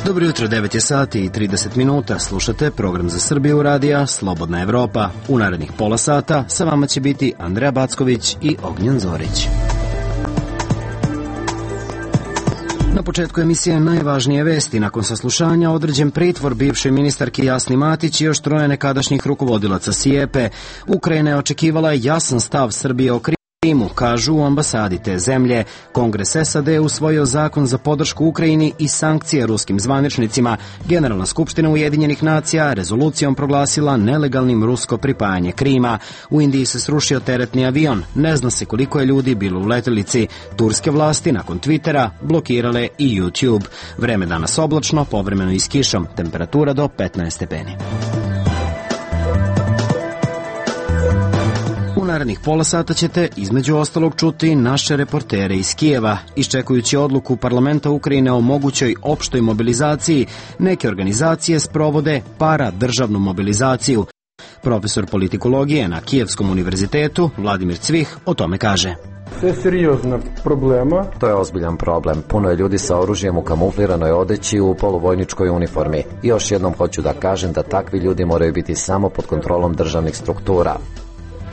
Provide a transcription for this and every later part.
Dobro jutro, 9 je sati i 30 minuta. Slušate program za Srbiju radija Slobodna Evropa. U narednih pola sata sa vama će biti Andreja Backović i Ognjen Zorić. Na početku emisije najvažnije vesti. Nakon saslušanja određen pritvor bivše ministarke Jasni Matić i još troje nekadašnjih rukovodilaca SIEPA. Ukrajina je očekivala jasan stav Srbije o Krimu, kažu u ambasadi te zemlje. Kongres SAD je usvojio zakon za podršku Ukrajini i sankcije ruskim zvaničnicima. Generalna skupština Ujedinjenih nacija rezolucijom proglasila nelegalnim rusko pripajanje Krima. U Indiji se srušio teretni avion. Ne zna se koliko je ljudi bilo u letelici. Turske vlasti nakon Twittera blokirale i YouTube. Vreme danas oblačno, povremeno i s kišom. Temperatura do 15 stepeni. U narednih pola sata ćete između ostalog čuti naše reportere iz Kijeva. Iščekujući odluku parlamenta Ukrajine o mogućoj opštoj mobilizaciji, neke organizacije sprovode paradržavnu mobilizaciju. Profesor politikologije na Kijevskom univerzitetu Vladimir Cvih o tome kaže. To je ozbiljan problem. Puno je ljudi sa oružjem u kamufliranoj odeći u poluvojničkoj uniformi. I još jednom hoću da kažem da takvi ljudi moraju biti samo pod kontrolom državnih struktura.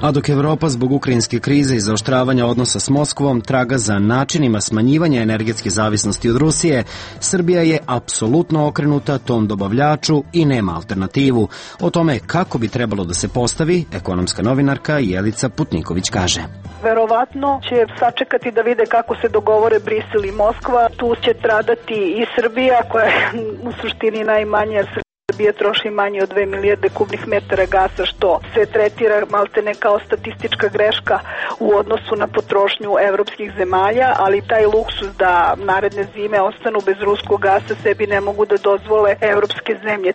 A dok Evropa zbog ukrajinske krize i zaoštravanja odnosa s Moskvom traga za načinima smanjivanja energetske zavisnosti od Rusije, Srbija je apsolutno okrenuta tom dobavljaču i nema alternativu. O tome kako bi trebalo da se postavi, ekonomska novinarka Jelica Putniković kaže. Verovatno će sačekati da vide kako se dogovore Brisel i Moskva. Tu će stradati i Srbija, koja je u suštini najmanje, jer Srbija troši manje od 2 milijarde kubnih metara gasa, što se tretira maltene kao statistička greška u odnosu na potrošnju evropskih zemalja, ali taj luksus da naredne zime ostanu bez ruskog gasa sebi ne mogu da dozvole evropske zemlje.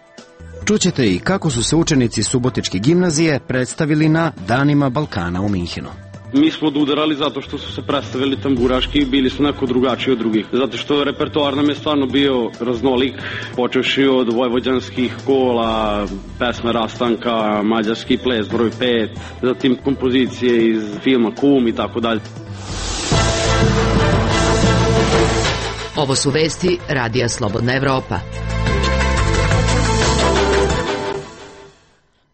Čućete i kako su se učenici Subotičke gimnazije predstavili na Danima Balkana u Minhenu. Mi smo odudarali zato što su se predstavili tamburaški i bili su neko drugačiji od drugih. Zato što repertoar nam je stvarno bio raznolik, počevši od vojvođanskih kola, pesme Rastanka, mađarski ples broj 5, zatim kompozicije iz filma Kum i tako dalje. Ovo su vesti Radija Slobodna Evropa.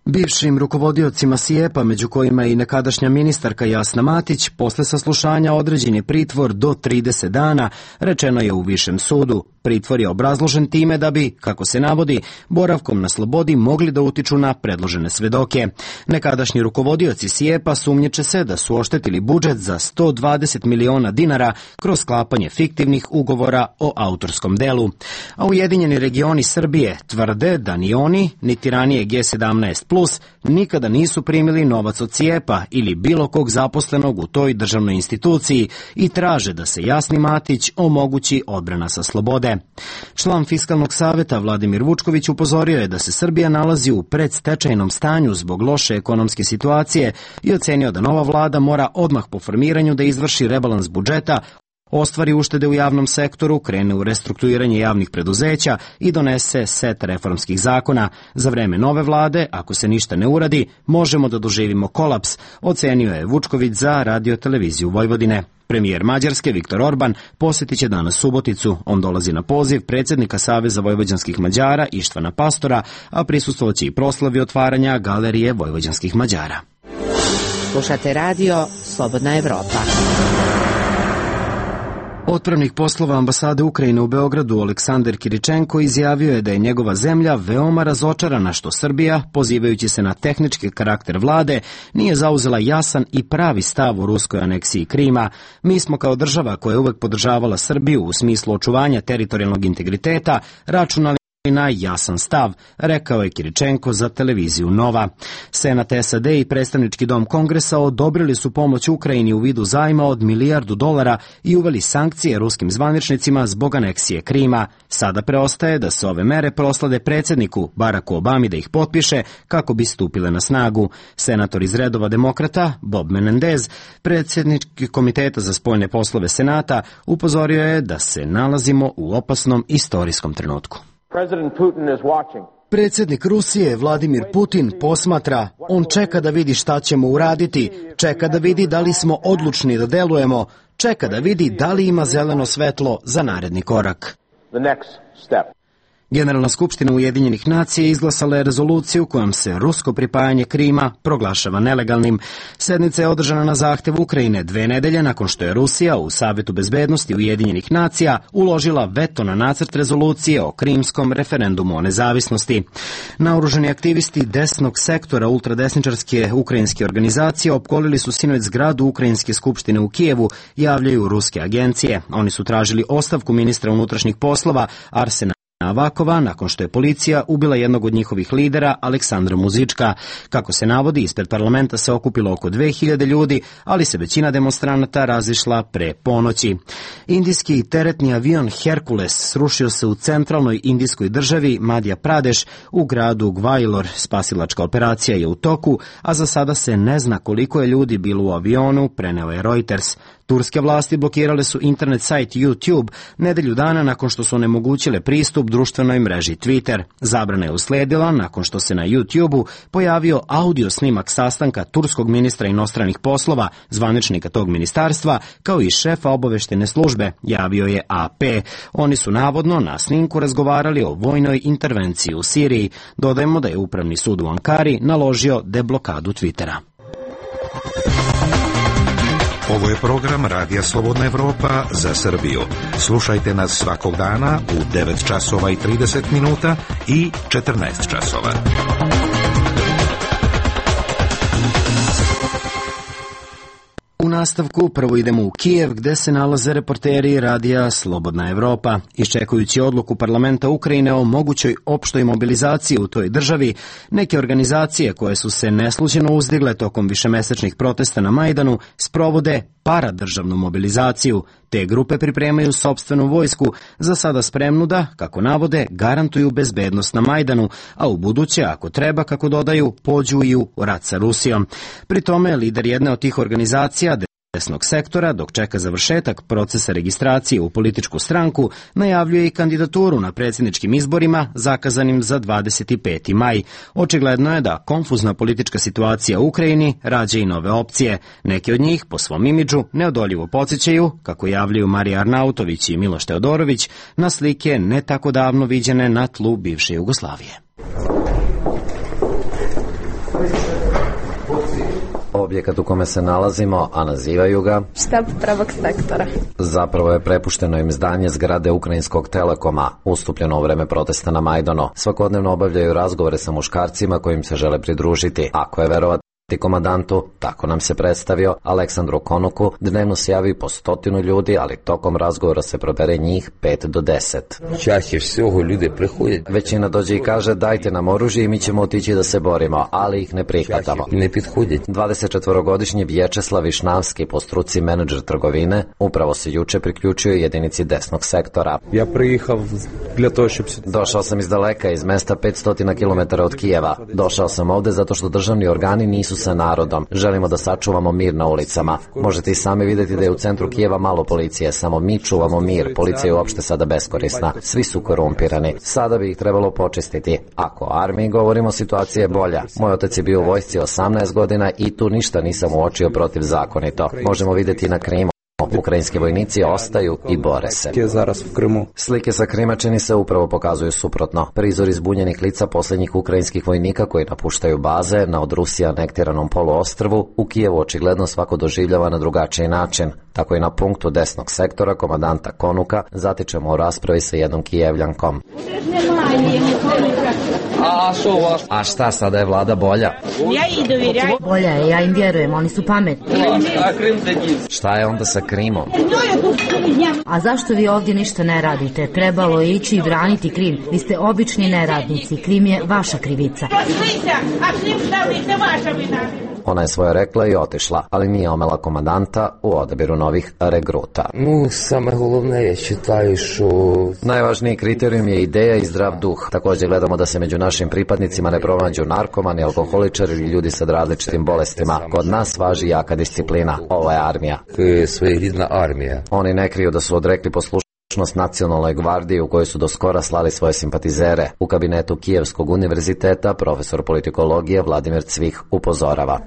Bivšim rukovodiocima SIEPA, među kojima i nekadašnja ministarka Jasna Matić, posle saslušanja određen je pritvor do 30 dana, rečeno je u Višem sudu. Pritvor je obrazložen time da bi, kako se navodi, boravkom na slobodi mogli da utiču na predložene svedoke. Nekadašnji rukovodioci SIEPA sumnjiče se da su oštetili budžet za 120 miliona dinara kroz sklapanje fiktivnih ugovora o autorskom delu. A Ujedinjeni regioni Srbije tvrde da ni oni, niti ranije G17+, nikada nisu primili novac od SIEPA ili bilo kog zaposlenog u toj državnoj instituciji i traže da se Jasni Matić omogući odbrana sa slobode. Član Fiskalnog saveta Vladimir Vučković upozorio je da se Srbija nalazi u predstečajnom stanju zbog loše ekonomske situacije i ocenio da nova vlada mora odmah po formiranju da izvrši rebalans budžeta, ostvari uštede u javnom sektoru, krene u restrukturiranje javnih preduzeća i donese set reformskih zakona. Za vreme nove vlade, ako se ništa ne uradi, možemo da doživimo kolaps, ocenio je Vučković za Radio-televiziju Vojvodine. Premijer Mađarske Viktor Orban posjetit će danas Suboticu. On dolazi na poziv predsjednika Saveza vojvođanskih Mađara Ištvana Pastora, a prisustvovaće i proslavi otvaranja Galerije vojvođanskih Mađara. Slušate radio Slobodna Evropa. Otpravnik poslova ambasade Ukrajine u Beogradu Aleksandar Kiričenko izjavio je da je njegova zemlja veoma razočarana što Srbija, pozivajući se na tehnički karakter vlade, nije zauzela jasan i pravi stav u ruskoj aneksiji Krima. Mi smo kao država koja je uvek podržavala Srbiju u smislu očuvanja teritorijalnog integriteta računali na jasan stav, rekao je Kiričenko za televiziju Nova. Senat SAD i predstavnički dom Kongresa odobrili su pomoć Ukrajini u vidu zajma od $1 milijardu i uveli sankcije ruskim zvaničnicima zbog aneksije Krima. Sada preostaje da se ove mere proslade predsjedniku Baracku Obami da ih potpiše kako bi stupile na snagu. Senator iz redova demokrata Bob Menendez, predsjednik Komiteta za spoljne poslove Senata, upozorio je da se nalazimo u opasnom istorijskom trenutku. Predsjednik Rusije Vladimir Putin posmatra, on čeka da vidi šta ćemo uraditi, čeka da vidi da li smo odlučni da delujemo, čeka da vidi da li ima zeleno svetlo za naredni korak. Generalna skupština Ujedinjenih nacija izglasala je rezoluciju kojom se rusko pripajanje Krima proglašava nelegalnim. Sednica je održana na zahtev Ukrajine 2 nedelje nakon što je Rusija u Savetu bezbednosti Ujedinjenih nacija uložila veto na nacrt rezolucije o krimskom referendumu o nezavisnosti. Naoružani aktivisti desnog sektora ultradesničarske ukrajinske organizacije opkolili su sinoć zgradu Ukrajinske skupštine u Kijevu, javljaju ruske agencije. Oni su tražili ostavku ministra unutrašnjih poslova Arsena Avakova nakon što je policija ubila jednog od njihovih lidera, Aleksandra Muzička. Kako se navodi, ispred parlamenta se okupilo oko 2000 ljudi, ali se većina demonstranata razišla pre ponoći. Indijski teretni avion Hercules srušio se u centralnoj indijskoj državi Madhya Pradesh u gradu Gvailor. Spasilačka operacija je u toku, a za sada se ne zna koliko je ljudi bilo u avionu, preneo je Reuters. Turske vlasti blokirale su internet sajt YouTube nedelju dana nakon što su onemogućile pristup društvenoj mreži Twitter. Zabrana je usledila nakon što se na YouTube-u pojavio audio snimak sastanka turskog ministra inostranih poslova, zvaničnika tog ministarstva, kao i šefa obaveštene službe, javio je AP. Oni su navodno na snimku razgovarali o vojnoj intervenciji u Siriji. Dodajemo da je Upravni sud u Ankari naložio deblokadu Twittera. Ovo je program Radija Slobodna Evropa za Srbiju. Slušajte nas svakog dana u 9 časova i 30 minuta i 14 časova. U nastavku prvo idemo u Kijev gde se nalaze reporteri Radija Slobodna Evropa. Iščekujući odluku parlamenta Ukrajine o mogućoj opštoj mobilizaciji u toj državi, neke organizacije koje su se neslućeno uzdigle tokom višemesečnih protesta na Majdanu sprovode paradržavnu mobilizaciju. Te grupe pripremaju sopstvenu vojsku, za sada spremnu da, kako navode, garantuju bezbednost na Majdanu, a u buduće, ako treba, kako dodaju, pođu i u rat sa Rusijom. Pri tome, lider jedne od tih organizacija, desnog sektora, dok čeka završetak procesa registracije u političku stranku, najavljuje i kandidaturu na predsjedničkim izborima zakazanim za 25. maj. Očigledno je da konfuzna politička situacija u Ukrajini rađa i nove opcije. Neki od njih, po svom imidžu, neodoljivo podsjećaju, kako javljaju Marija Arnautović i Miloš Teodorović, na slike ne tako davno viđene na tlu bivše Jugoslavije. Objekat u kome se nalazimo, a nazivaju ga štab pravog sektora. Zapravo je prepušteno im zdanje zgrade Ukrajinskog Telekoma, ustupljeno u vreme protesta na Majdanu. Svakodnevno obavljaju razgovore sa muškarcima kojim se žele pridružiti. Ako je verovati komandantu, tako nam se predstavio, Aleksandru Konuku, dnevno se javi po 100 ljudi, ali tokom razgovora se probere njih 5 do 10. Čašće всього ljudi prihodje. Većina dođe i kaže dajte nam oružje i mi ćemo otići da se borimo, ali ih ne prihvatamo. Ne pithodje. 24-godišnji Vječeslav Višnavski, po struci menadžer trgovine, upravo se juče priključio jedinici desnog sektora. Ja prijehav dla toho, щоб... Došao sam iz daleka, iz mesta 500 km od Kijeva. Došao sam ovde zato što državni organi nisu sa narodom. Želimo da sačuvamo mir na ulicama. Možete i sami vidjeti da je u centru Kijeva malo policije, samo mi čuvamo mir. Policija je uopšte sada beskorisna. Svi su korumpirani. Sada bi ih trebalo počistiti. Ako o armiji govorimo, situacija je bolja. Moj otac je bio u vojsci 18 godina i tu ništa nisam uočio protivzakonito. Možemo vidjeti na Krimu. Ukrajinski vojnici ostaju i bore se. Slike sa Krima čini se upravo pokazuju suprotno. Prizor izbunjenih lica posljednjih ukrajinskih vojnika koji napuštaju baze na od Rusije anektiranom poluostrvu u Kijevu očigledno svako doživljava na drugačiji način. Tako i na punktu desnog sektora komandanta Konuka zatičemo u raspravi sa jednom Kijevljankom. A šta, sada je vlada bolja? Bolja je, ja im vjerujem, oni su pametni. Šta je onda sa Krimom? A zašto vi ovdje ništa ne radite? Trebalo je ići i braniti Krim. Vi ste obični neradnici, Krim je vaša krivica. Ona je svoje rekla i otišla, ali nije omela komandanta u odabiru novih regruta. Najvažniji kriterijum je ideja i zdrav duh. Također gledamo da se među našim pripadnicima ne pronađu narkomani, alkoholičari ili ljudi sa različitim bolestima. Kod nas važi jaka disciplina. Ovo je armija. Oni ne kriju da su odrekli poslušnosti predstavčnost nacionalnoj gvardiji u kojoj su do skora slali svoje simpatizere. U kabinetu Kijevskog univerziteta profesor politikologije Vladimir Cvih upozorava.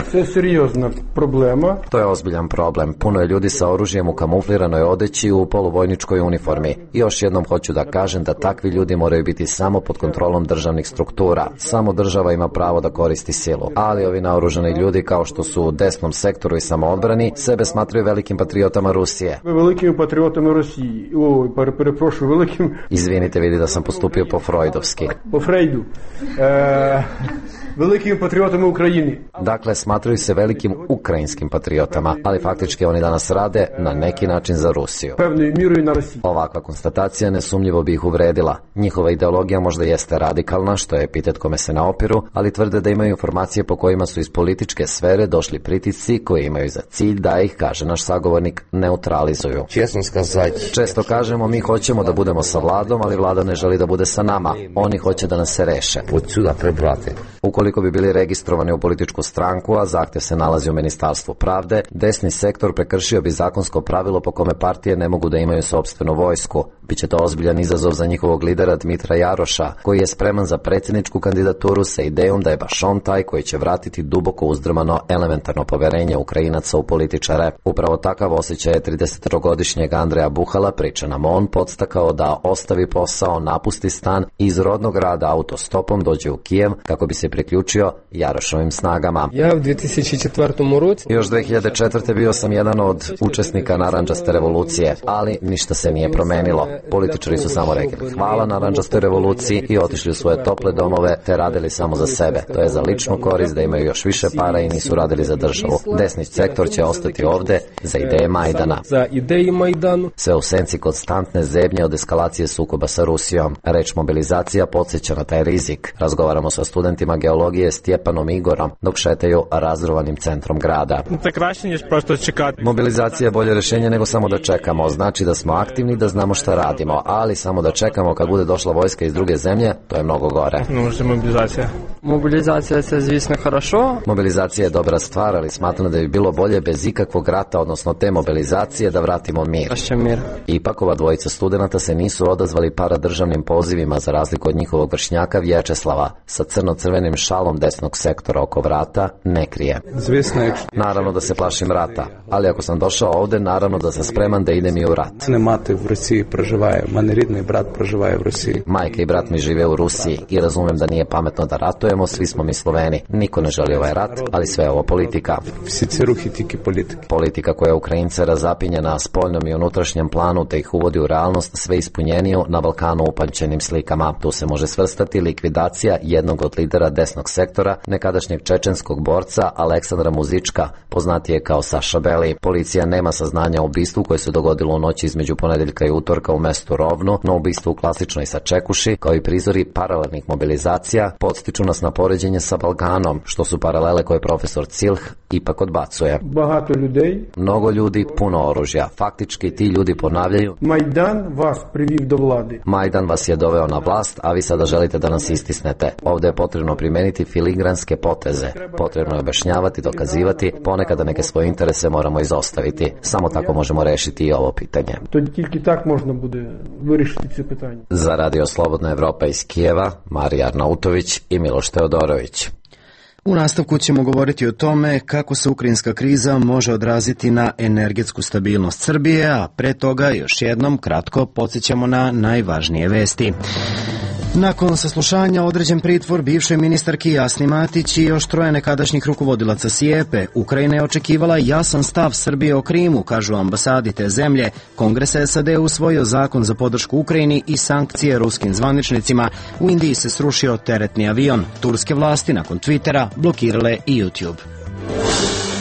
To je ozbiljan problem. Puno je ljudi sa oružjem u kamufliranoj odeći i u poluvojničkoj uniformi. I još jednom hoću da kažem da takvi ljudi moraju biti samo pod kontrolom državnih struktura. Samo država ima pravo da koristi silu. Ali ovi naoružani ljudi, kao što su u desnom sektoru i samoodbrani, sebe smatraju velikim patriotama Rusije. Izvinite, vidi da sam postupio po freudovski. Po Freudu. Velikim patriotama Ukrajini. Dakle, smatraju se velikim ukrajinskim patriotama, ali faktički oni danas rade na neki način za Rusiju. Ovakva konstatacija nesumnjivo bi ih uvredila. Njihova ideologija možda jeste radikalna, što je epitet kome se ne opiru, ali tvrde da imaju informacije po kojima su iz političke sfere došli pritisci koji imaju za cilj da ih, kaže naš sagovornik, neutralizuju. Često kažemo mi hoćemo da budemo sa vladom, ali vlada ne želi da bude sa nama. Oni hoće da nas se reše. Ukoliko bi bili registrovani u političku stranku, a zahtjev se nalazi u Ministarstvu pravde, desni sektor prekršio bi zakonsko pravilo po kome partije ne mogu da imaju sopstvenu vojsku. Biće to ozbiljan izazov za njihovog lidera Dmitra Jaroša, koji je spreman za predsjedničku kandidaturu sa idejom da je baš on taj koji će vratiti duboko uzdrmano elementarno poverenje Ukrajinaca u političare. Upravo takav osjećaj je 30-godišnjeg Andreja Buhala, priča nam on, podstakao da ostavi posao, napusti stan i iz rodnog grada autostopom dođe u Kijev kako bi se priključio Jarošovim snagama. Ja u 2004. roku još 2004. bio sam jedan od učesnika narandžaste revolucije, ali ništa se nije promenilo. Političari su samo rekli hvala narandžastoj revoluciji i otišli u svoje tople domove te radili samo za sebe. To je za ličnu korist, da imaju još više para i nisu radili za državu. Desni sektor će ostati ovde za ideje Majdana. Sve u senci konstantne zebnje od eskalacije sukoba sa Rusijom. Reč mobilizacija podsjeća na taj rizik. Razgovaramo sa studentima geologije Stjepanom Igorom dok šetaju razrovanim centrom grada. Mobilizacija je bolje rješenje nego samo da čekamo. Znači da smo aktivni, da znamo šta radimo, ali samo da čekamo kad bude došla vojska iz druge zemlje, to je mnogo gore. Mobilizacija se zvisno хорошо. Mobilizacija je dobra stvar, ali smatram da bi bilo bolje bez ikakvog rata, odnosno te mobilizacije, da vratimo mir. Ipak ova dvojica studenata se nisu odazvali paradržavnim pozivima za razliku od njihovog vršnjaka Vječeslava sa crno-crvenim šalom desnog sektora oko vrata ne krije. Naravno da se plašim rata, ali ako sam došao ovde, naravno da sam spreman da idem i u rat. Majka i brat mi žive u Rusiji i razumem da nije pametno da ratujemo, svi smo mi Sloveni. Niko ne želi ovaj rat, ali sve je ovo politika. Politika koja Ukrajince razapinje na spoljnom i unutrašnjem planu te ih uvodi u realnost sve ispunjeniju na Balkanu upamćenim slikama. Tu se može svrstati likvidacija jednog od lidera desnog sektora, nekadašnjeg čečenskog borca Aleksandra Muzička, poznatije kao Saša Beli. Policija nema saznanja o ubistvu koje se dogodilo u noći između ponedeljka i utorka u mestu Rovno, no ubistvo u klasičnoj Sačekuši, kao i prizori paralelnih mobilizacija, podstiču nas na poređenje sa Balkanom, što su paralele koje profesor Cilh ipak odbacuje. Mnogo ljudi, puno oružja. Faktički ti ljudi ponavljaju: Majdan vas je doveo na vlast, a vi sada želite da nas istisnete. Ovdje je potrebno primijeniti filigranske poteze. Potrebno je objašnjavati, dokazivati, ponekada neke svoje interese moramo izostaviti. Samo tako možemo rešiti i ovo pitanje. Za Radio Slobodna Evropa iz Kijeva, Marija Arnautović i Miloš Teodorović. U nastavku ćemo govoriti o tome kako se ukrajinska kriza može odraziti na energetsku stabilnost Srbije, a pre toga još jednom kratko podsjećamo na najvažnije vesti. Nakon saslušanja određen pritvor bivšoj ministarki Jasni Matić i još troje nekadašnjih rukovodilaca SIEPA, Ukrajina je očekivala jasan stav Srbije o Krimu, kažu ambasadi te zemlje. Kongres SAD usvojio zakon za podršku Ukrajini i sankcije ruskim zvaničnicima. U Indiji se srušio teretni avion. Turske vlasti nakon Twittera blokirale i YouTube.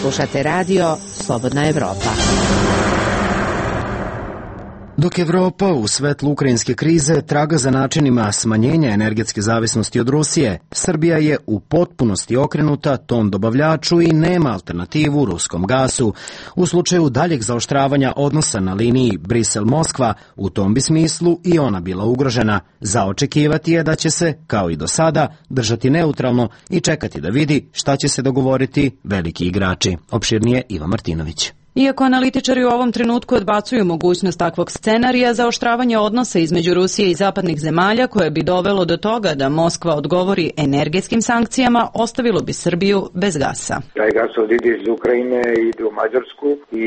Slušate radio Slobodna Evropa. Dok Evropa u svetlu ukrajinske krize traga za načinima smanjenja energetske zavisnosti od Rusije, Srbija je u potpunosti okrenuta tom dobavljaču i nema alternativu ruskom gasu. U slučaju daljeg zaoštravanja odnosa na liniji Brisel-Moskva, u tom bi smislu i ona bila ugrožena. Za očekivati je da će se, kao i do sada, držati neutralno i čekati da vidi šta će se dogovoriti veliki igrači. Opširnije Iva Martinović. Iako analitičari u ovom trenutku odbacuju mogućnost takvog scenarija, zaoštravanje odnosa između Rusije i zapadnih zemalja koje bi dovelo do toga da Moskva odgovori energetskim sankcijama, ostavilo bi Srbiju bez gasa. Taj gasovod ide iz Ukrajine i ide u Mađarsku i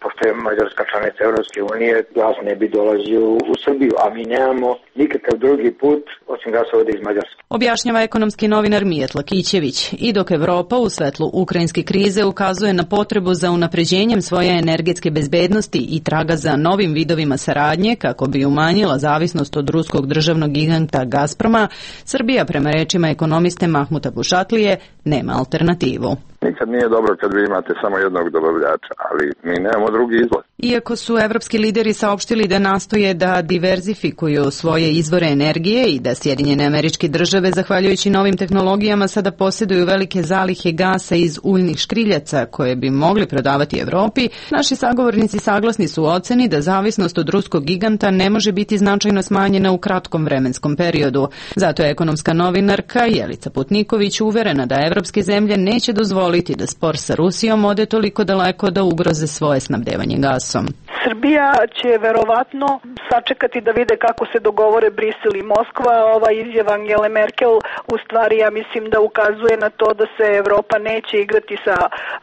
pošto je Mađarska članica Evropske unije, gas ne bi dolazio u Srbiju, a mi nemamo nikakav drugi put osim gasovoda iz Mađarske. Objašnjava ekonomski novinar Mijetla Kićević. I dok Evropa u svetlu ukrajinske krize ukazuje na potrebu za unapređenjem svoje energetske bezbednosti i traga za novim vidovima saradnje kako bi umanjila zavisnost od ruskog državnog giganta Gazproma, Srbija, prema rečima ekonomiste Mahmuta Bušatlije, nema alternativu. Nikad nije dobro kad vi imate samo jednog dobavljača, ali mi nemamo drugi izlaz. Iako su evropski lideri saopštili da nastoje da diverzifikuju svoje izvore energije i da Sjedinjene Američke Države, zahvaljujući novim tehnologijama, sada posjeduju velike zalihe gasa iz uljnih škriljaca koje bi mogli prodavati Evropi, naši sagovornici saglasni su u oceni da zavisnost od ruskog giganta ne može biti značajno smanjena u kratkom vremenskom periodu. Zato je ekonomska novinarka Jelica Putniković uverena da evropske zemlje neće dozvoliti da spor sa Rusijom ode toliko daleko da ugroze svoje snabdevanje gasom. Srbija će verovatno sačekati da vide kako se dogovore Brisel i Moskva. Ova izjava Angele Merkel u stvari, ja mislim, da ukazuje na to da se Evropa neće igrati sa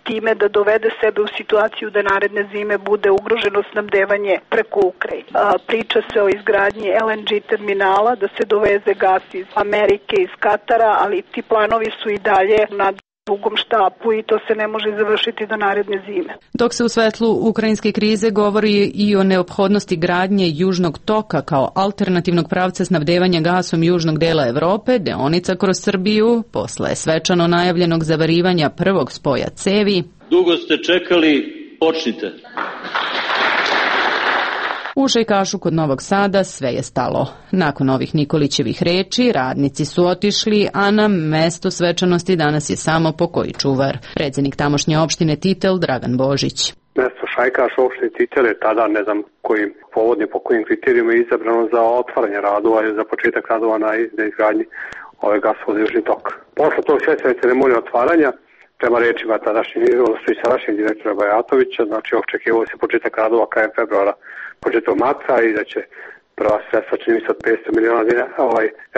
time da dovede sebe u situaciju da naredne zime bude ugroženo snabdevanje preko Ukrajine. Priča se o izgradnji LNG terminala, da se doveze gas iz Amerike, iz Katara, ali ti planovi su i dalje na dugom štapu i to se ne može završiti do naredne zime. Dok se u svetlu ukrajinske krize govori i o neophodnosti gradnje Južnog toka kao alternativnog pravca snabdevanja gasom južnog dela Evrope, deonica kroz Srbiju, posle svečano najavljenog zavarivanja prvog spoja cevi. Dugo ste čekali, počnite. U Šajkašu kod Novog Sada sve je stalo. Nakon ovih Nikolićevih reči, radnici su otišli, a na mesto svečanosti danas je samo pokoji čuvar. Predsjednik tamošnje opštine Titel, Dragan Božić. Mesto Šajkaš opštine Titel je tada, ne znam kojim povodnim, po kojim kriterijima je izabrano za otvaranje radova i za početak radova na izgradnji ove gasovoda Južni tok. Posle tog svečane ceremonije otvaranja, prema rečima sadašnjeg direktora Bajatovića, znači očekivao se početak radova krajem februara, početkom marta i da će prva sredstva, čini mi se, od 500 miliona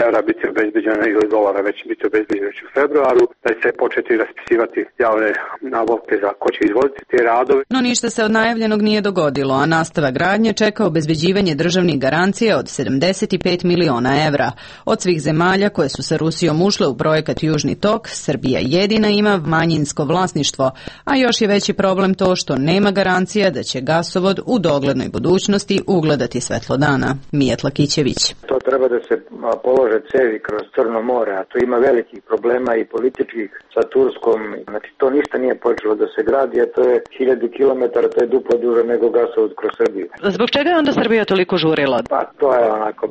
evra biti obezbeđena ili dolara već biti obezbeđena u februaru, da će se početi raspisivati javne nabavke za ko će izvoditi te radove. No ništa se od najavljenog nije dogodilo, a nastava gradnje čeka obezbeđivanje državnih garancija od 75 miliona evra. Od svih zemalja koje su sa Rusijom ušle u projekat Južni tok, Srbija jedina ima manjinsko vlasništvo, a još je veći problem to što nema garancija da će gasovod u doglednoj budućnosti ugledati svetlo dana. Mijetla Kićević. To treba da se polože cevi kroz Crno more, a to ima velikih problema i političkih sa Turskom. Znači to ništa nije počelo da se gradi, a to je 1000 kilometara, to je duplo duže nego gasovod kroz Srbiju. Zbog čega je onda Srbija toliko žurila? Pa to je onako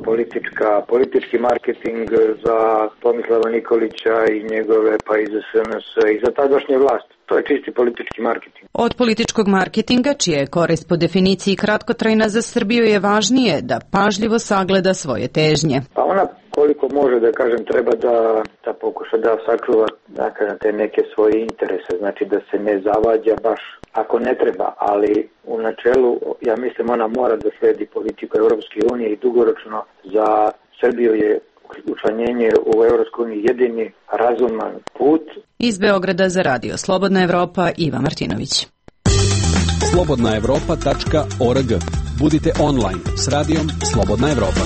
politički marketing za Tomislava Nikolića i njegove, pa i za SNS i za tadašnje vlasti. To je čisti politički marketing. Od političkog marketinga, čija je korist po definiciji kratkotrajna, za Srbiju je važnije da pažljivo sagleda svoje težnje. Pa ona koliko može, da kažem, treba da pokuša da sačuva, da kažem, te neke svoje interese, znači da se ne zavađa baš ako ne treba, ali u načelu, ja mislim, ona mora da sledi politiku Europske unije i dugoročno za Srbiju je učlanjenje u Evropskoj uniji jedini razuman put. Iz Beograda za Radio Slobodna Evropa, Iva Martinović. slobodnaevropa.org. Budite online s radijom Slobodna Evropa.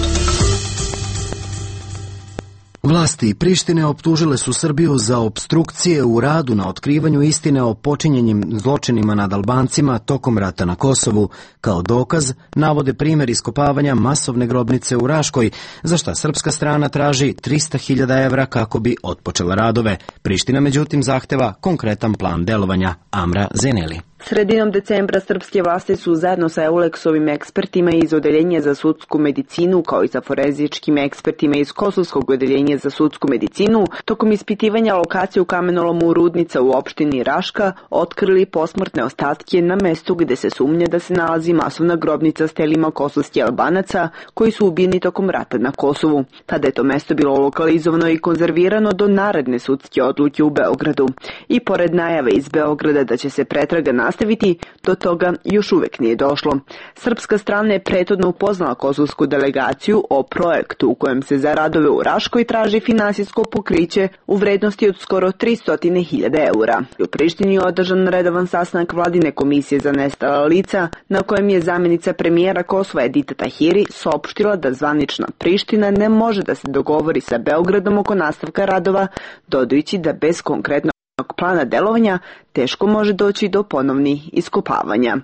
Vlasti Prištine optužile su Srbiju za opstrukcije u radu na otkrivanju istine o počinjenim zločinima nad Albancima tokom rata na Kosovu. Kao dokaz navode primjer iskopavanja masovne grobnice u Raškoj, za šta srpska strana traži 300.000 evra kako bi otpočela radove. Priština međutim zahteva konkretan plan delovanja. Amra Zeneli. Sredinom decembra srpske vlasti su zajedno sa Eulexovim ekspertima iz Odeljenja za sudsku medicinu kao i sa forenzičkim ekspertima iz Kosovskog odeljenja za sudsku medicinu tokom ispitivanja lokacije u kamenolomu Rudnica u opštini Raška otkrili posmrtne ostatke na mestu gde se sumnja da se nalazi masovna grobnica s telima kosovskih Albanaca koji su ubijeni tokom rata na Kosovu. Tada je to mesto bilo lokalizovano i konzervirano do naredne sudske odluke u Beogradu. I pored najave iz Beograda da će se pretraga nastaviti, do toga još uvek nije došlo. Srpska strana je prethodno upoznala kosovsku delegaciju o projektu u kojem se za radove u Raškoj traži finansijsko pokriće u vrednosti od skoro 300.000 eura. U Prištini je održan redovan sastanak vladine komisije za nestala lica, na kojem je zamjenica premijera Kosova Edita Tahiri saopštila da zvanična Priština ne može da se dogovori sa Beogradom oko nastavka radova, dodajući da bez konkretnog plana delovanja teško može doći do ponovnih iskopavanja.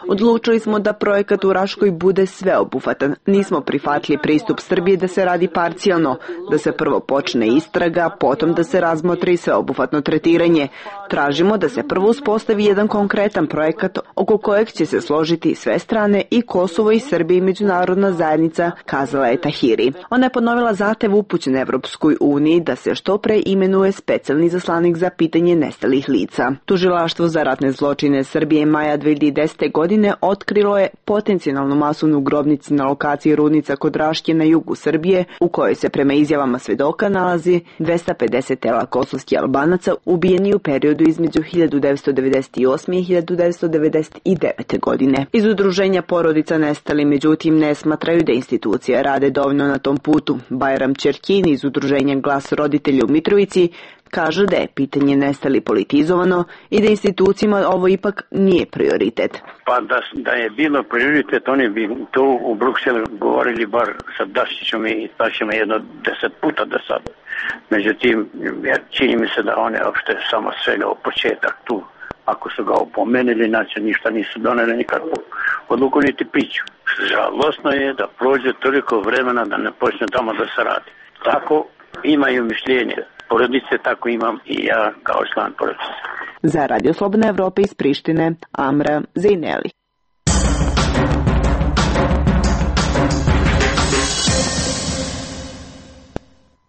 Odlučili smo da projekat u Raškoj bude sveobuhvatan. Nismo prihvatili pristup Srbije da se radi parcijalno, da se prvo počne istraga, potom da se razmotri sveobuhvatno tretiranje. Tražimo da se prvo uspostavi jedan konkretan projekat oko kojeg će se složiti sve strane i Kosovo i Srbija i međunarodna zajednica, kazala je Tahiri. Ona je ponovila zahtev upućen Evropskoj uniji da se što pre imenuje specijalni zaslanik za pitanje nestalih lica. Tužilaštvo za ratne zločine Srbije maja 2010. godine otkrilo je potencijalnu masovnu grobnicu na lokaciji Rudnica kod Raške na jugu Srbije, u kojoj se prema izjavama svedoka nalazi 250 tela kosovskih Albanaca ubijeni u periodu između 1998. i 1999. godine. Iz udruženja porodica nestali međutim ne smatraju da institucije rade dovoljno na tom putu. Bajram Čerkin iz udruženja Glas roditelja u Mitrovici kaže da je pitanje nestali politizovano i da institucijama ovo ipak nije prioritet. Pa da je bilo prioritet, oni bi to u Brukselu govorili bar sa Daščićom i Dašćima jedno 10 puta do sada. Međutim, čini mi se da one uopšte samo svega u početak tu. Ako su ga opomenuli, znači ništa nisu doneli nikakvu odluku niti priču. Žalostno je da prođe toliko vremena da ne počne tamo da se radi. Tako imaju mišljenje porodice, tako imam i ja kao član porodice. Za Radio Slobodna Evropa iz Prištine, Amra Zejneli.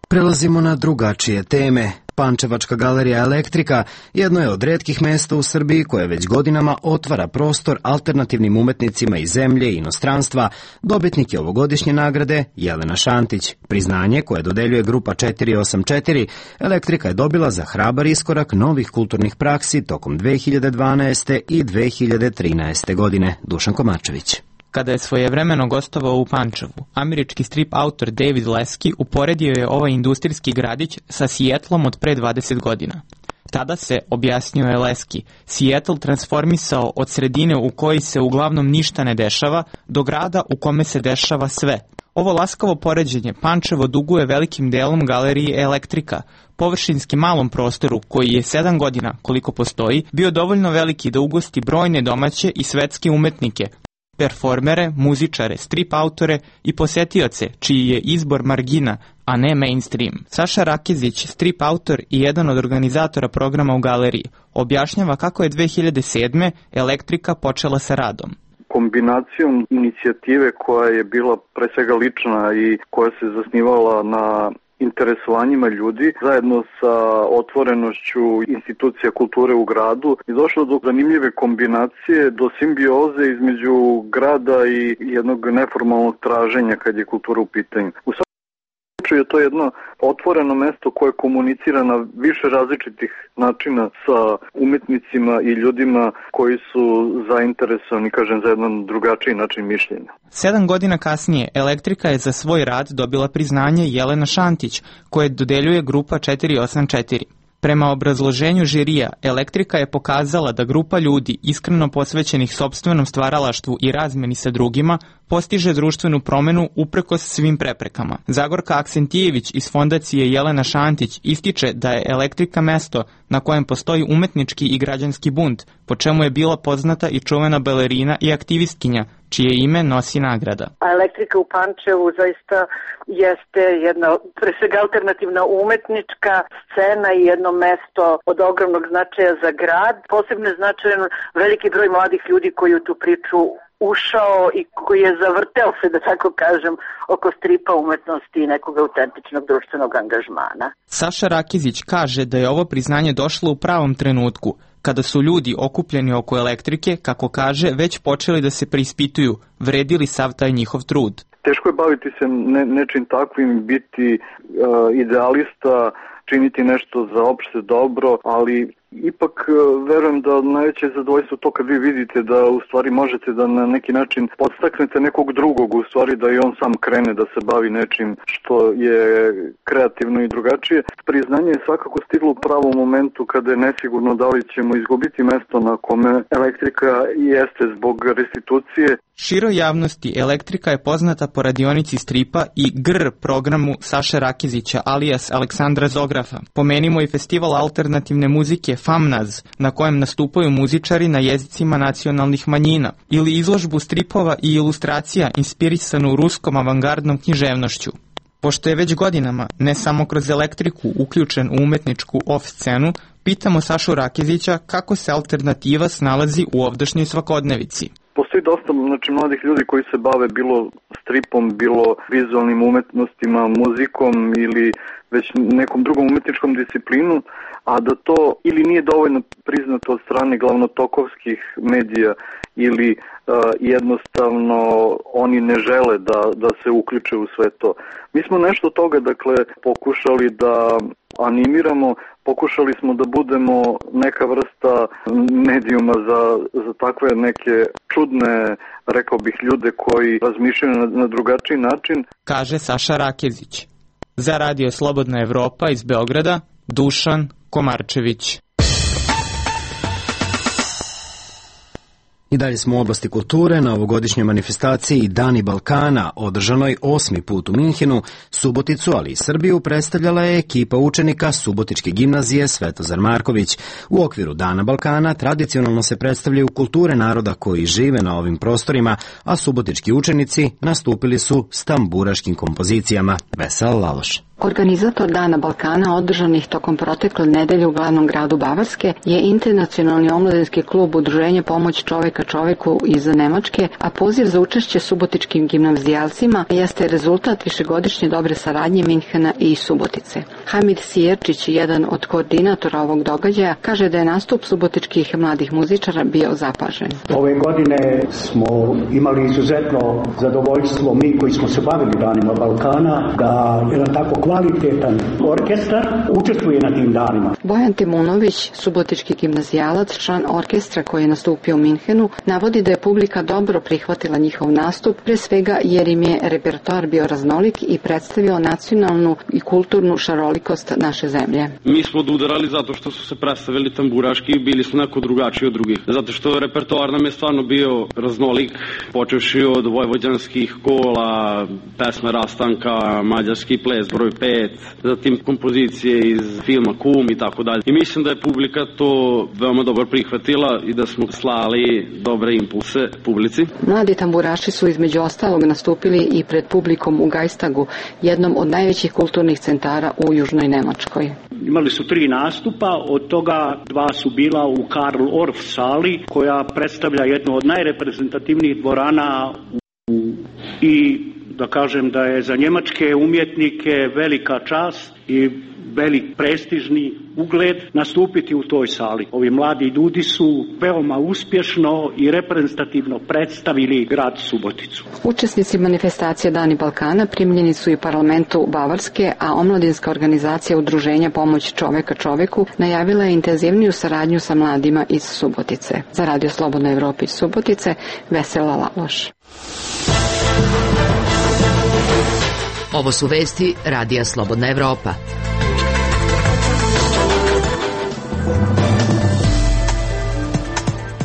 Prelazimo na drugačije teme. Pančevačka galerija Elektrika jedno je od retkih mesta u Srbiji koje već godinama otvara prostor alternativnim umetnicima iz zemlje i inostranstva. Dobitnik je ovogodišnje nagrade Jelena Šantić. Priznanje koje dodeljuje grupa 484 Elektrika je dobila za hrabar iskorak novih kulturnih praksi tokom 2012. i 2013. godine. Dušan Komačević. Kada je svojevremeno gostovao u Pančevu, američki strip autor David Leski uporedio je ovaj industrijski gradić sa Seattlom od pre 20 godina. Tada se, objasnio je Leski, Seattle transformisao od sredine u kojoj se uglavnom ništa ne dešava do grada u kome se dešava sve. Ovo laskavo poređenje Pančevo duguje velikim delom galeriji Elektrika, površinski malom prostoru koji je 7 godina, koliko postoji, bio dovoljno veliki da ugosti brojne domaće i svetske umetnike, performere, muzičare, strip autore i posetioce, čiji je izbor margina, a ne mainstream. Saša Rakezić, strip autor i jedan od organizatora programa u galeriji, objašnjava kako je 2007. Elektrika počela sa radom. Kombinacijom inicijative koja je bila pre svega lična i koja se zasnivala na interesovanjima ljudi, zajedno sa otvorenošću institucija kulture u gradu, je došlo do zanimljive kombinacije, do simbioze između grada i jednog neformalnog traženja kad je kultura u pitanju. U svakom slučaju je to jedno otvoreno mesto koje komunicira na više različitih načina sa umetnicima i ljudima koji su zainteresovani, kažem, za jedan drugačiji način mišljenja. 7 godina kasnije Elektrika je za svoj rad dobila priznanje Jelena Šantić, koje dodeljuje grupa 484. Prema obrazloženju žirija, Elektrika je pokazala da grupa ljudi iskreno posvećenih sopstvenom stvaralaštvu i razmeni sa drugima postiže društvenu promenu uprkos svim preprekama. Zagorka Aksentijević iz fondacije Jelena Šantić ističe da je Elektrika mesto na kojem postoji umetnički i građanski bunt, po čemu je bila poznata i čuvena balerina i aktivistkinja, čije ime nosi nagrada. A Elektrika u Pančevu zaista jeste jedna, pre svega, alternativna umetnička scena i jedno mesto od ogromnog značaja za grad. Posebno je značajan veliki broj mladih ljudi koji u tu priču ušao i koji je zavrteo se, da tako kažem, oko stripa umetnosti i nekog autentičnog društvenog angažmana. Saša Rakezić kaže da je ovo priznanje došlo u pravom trenutku, kada su ljudi okupljeni oko Elektrike, kako kaže, već počeli da se preispituju, vredili sav taj njihov trud. Teško je baviti se nečim takvim, biti idealista, činiti nešto za opšte dobro, ali ipak verujem da najveće zadovoljstvo to kad vi vidite da u stvari možete da na neki način podstaknete nekog drugog, u stvari da i on sam krene da se bavi nečim što je kreativno i drugačije. Priznanje je svakako stiglo u pravom momentu kada je nesigurno da li ćemo izgubiti mesto na kome elektrika jeste zbog restitucije. Široj javnosti Elektrika je poznata po radionici stripa i GR programu Saše Rakezića alias Aleksandra Zografa. Pomenimo i festival alternativne muzike FAMNAZ, na kojem nastupaju muzičari na jezicima nacionalnih manjina, ili izložbu stripova i ilustracija inspirisanu ruskom avangardnom književnošću. Pošto je već godinama, ne samo kroz Elektriku, uključen u umetničku off-scenu, pitamo Sašu Rakezića kako se alternativa snalazi u ovdašnjoj svakodnevici. Postoji dosta mladih ljudi koji se bave bilo stripom, bilo vizualnim umetnostima, muzikom ili već nekom drugom umetničkom disciplinu, a da to ili nije dovoljno priznato od strane glavnotokovskih medija ili jednostavno oni ne žele da se uključe u sve to. Mi smo nešto toga pokušali da animiramo, pokušali smo da budemo neka vrsta medijuma za takve neke čudne, rekao bih, ljude koji razmišljaju na drugačiji način. Kaže Saša Rakezić. Za Radio Slobodna Evropa iz Beograda, Dušan Komarčević. I dalje smo u oblasti kulture. Na ovogodišnjoj manifestaciji Dani Balkana, održanoj 8. put u Minhenu, Suboticu, ali i Srbiju, predstavljala je ekipa učenika Subotičke gimnazije Svetozar Marković. U okviru Dana Balkana tradicionalno se predstavljaju kulture naroda koji žive na ovim prostorima, a subotički učenici nastupili su s tamburaškim kompozicijama. Vesel Laloš. Organizator Dana Balkana, održanih tokom protekle nedelje u glavnom gradu Bavarske, je Internacionalni omladinski klub Udruženja Pomoć čoveka čoveku iz Nemačke, a poziv za učešće subotičkim gimnazijalcima jeste rezultat višegodišnje dobre saradnje Minhena i Subotice. Hamid Sijerčić, jedan od koordinatora ovog događaja, kaže da je nastup subotičkih mladih muzičara bio zapažen. Ove godine smo imali izuzetno zadovoljstvo, mi koji smo se bavili Danima Balkana, da jedan tako kvalitetan orkestar učestvuje na tim danima. Bojan Timunović, subotički gimnazijalac, član orkestra koji je nastupio u Minhenu, navodi da je publika dobro prihvatila njihov nastup, pre svega jer im je repertoar bio raznolik i predstavio nacionalnu i kulturnu šarolikost naše zemlje. Mi smo odudarali zato što su se predstavili tamburaški i bili su neko drugačiji od drugih. Zato što repertoar nam je stvarno bio raznolik, počevši od vojvođanskih kola, pesme Rastanka, mađarski ples broj 5, zatim kompozicije iz filma Kum i tako dalje. I mislim da je publika to veoma dobro prihvatila i da smo slali dobre impulse publici. Mladi tamburaši su između ostalog nastupili i pred publikom u Gajstagu, jednom od najvećih kulturnih centara u Južnoj Nemačkoj. Imali su 3 nastupa, od toga 2 su bila u Karl Orff sali, koja predstavlja jednu od najreprezentativnijih dvorana i da kažem da je za njemačke umjetnike velika čast i velik prestižni ugled nastupiti u toj sali. Ovi mladi ljudi su veoma uspješno i reprezentativno predstavili grad Suboticu. Učesnici manifestacije Dani Balkana primljeni su i parlamentu Bavarske, a omladinska organizacija Udruženja Pomoć čoveka čoveku najavila je intenzivniju saradnju sa mladima iz Subotice. Za Radio Slobodna Evropa iz Subotice, Vesela Laloš. Ovo su vesti Radija Slobodna Evropa.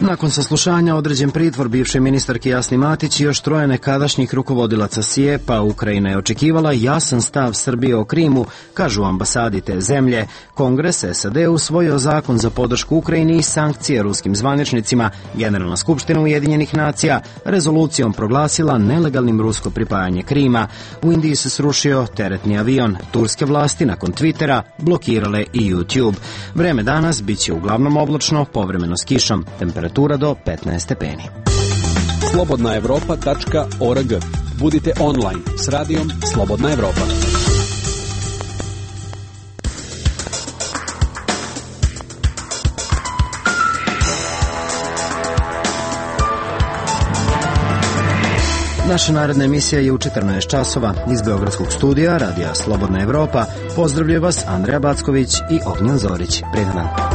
Nakon saslušanja određen pritvor bivše ministarke Jasni Matić i još 3 nekadašnjih rukovodilaca SIEPA, Ukrajina je očekivala jasan stav Srbije o Krimu, kažu ambasadi te zemlje. Kongres SAD usvojio zakon za podršku Ukrajini i sankcije ruskim zvaničnicima. Generalna skupština Ujedinjenih nacija rezolucijom proglasila nelegalnim rusko pripajanje Krima. U Indiji se srušio teretni avion. Turske vlasti nakon Twittera blokirale i YouTube. Vreme danas biće uglavnom oblačno, povremeno s kišom. Temperatura do 15 stepeni. slobodnaevropa.org. Budite online s radijom Slobodna Evropa. Naša naredna emisija je u 14 časova. Iz Beogradskog studija Radija Slobodna Evropa pozdravljaju vas Andreja Backović i Ognjen Zorić. Prijetan dan.